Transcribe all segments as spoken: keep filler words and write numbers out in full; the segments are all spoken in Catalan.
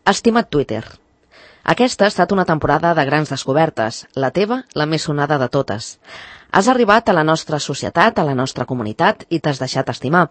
Estimat Twitter. Aquesta ha estat una temporada de grans descobertes, la teva, la més sonada de totes. Has arribat a la nostra societat, a la nostra comunitat, i t'has deixat estimar.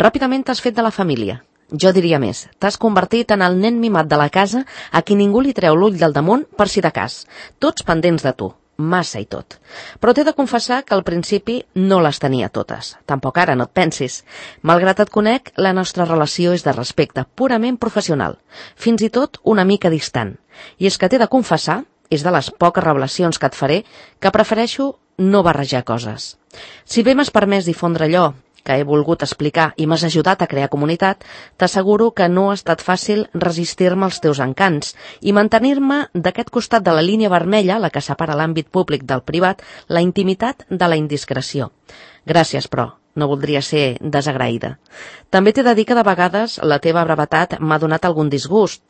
Ràpidament t'has fet de la família. Jo diria més, t'has convertit en el nen mimat de la casa a qui ningú li treu l'ull del damunt per si de cas. Tots pendents de tu, massa i tot. Però t'he de confessar que al principi no les tenia totes. Tampoc ara, no et pensis. Malgrat et conec, la nostra relació és de respecte, purament professional. Fins i tot una mica distant. I és que t'he de confessar, és de les poques revelacions que et faré, que prefereixo no barrejar coses. Si bé m'has permès difondre allò que he volgut explicar i m'has ajudat a crear comunitat, t'asseguro que no ha estat fàcil resistir-me als teus encants i mantenir-me d'aquest costat de la línia vermella, la que separa l'àmbit públic del privat, la intimitat de la indiscreció. Gràcies, però, no voldria ser desagraïda. També t'he de dir que de vegades la teva brevetat m'ha donat algun disgust.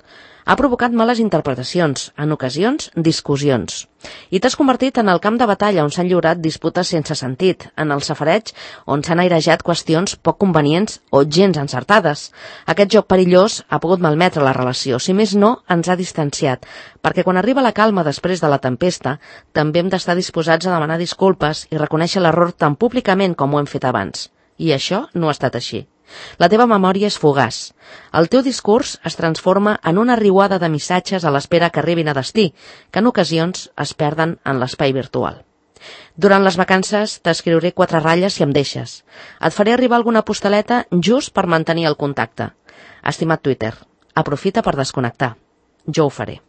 Ha provocat males interpretacions, en ocasions discussions. I t'has convertit en el camp de batalla on s'han lliurat disputes sense sentit, en el safareig on s'han airejat qüestions poc convenients o gens encertades. Aquest joc perillós ha pogut malmetre la relació, si més no, ens ha distanciat, perquè quan arriba la calma després de la tempesta, també hem d'estar disposats a demanar disculpes i reconèixer l'error tan públicament com ho hem fet abans. I això no ha estat així. La teva memòria és fugaç. El teu discurs es transforma en una riuada de missatges a l'espera que arribin a destí, que en ocasions es perden en l'espai virtual. Durant les vacances t'escriuré quatre ratlles si em deixes. Et faré arribar alguna postaleta just per mantenir el contacte. Estimat Twitter, aprofita per desconnectar. Jo ho faré.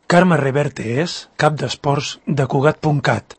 Carme Reverte és cap d'esports de Cugat punt cat.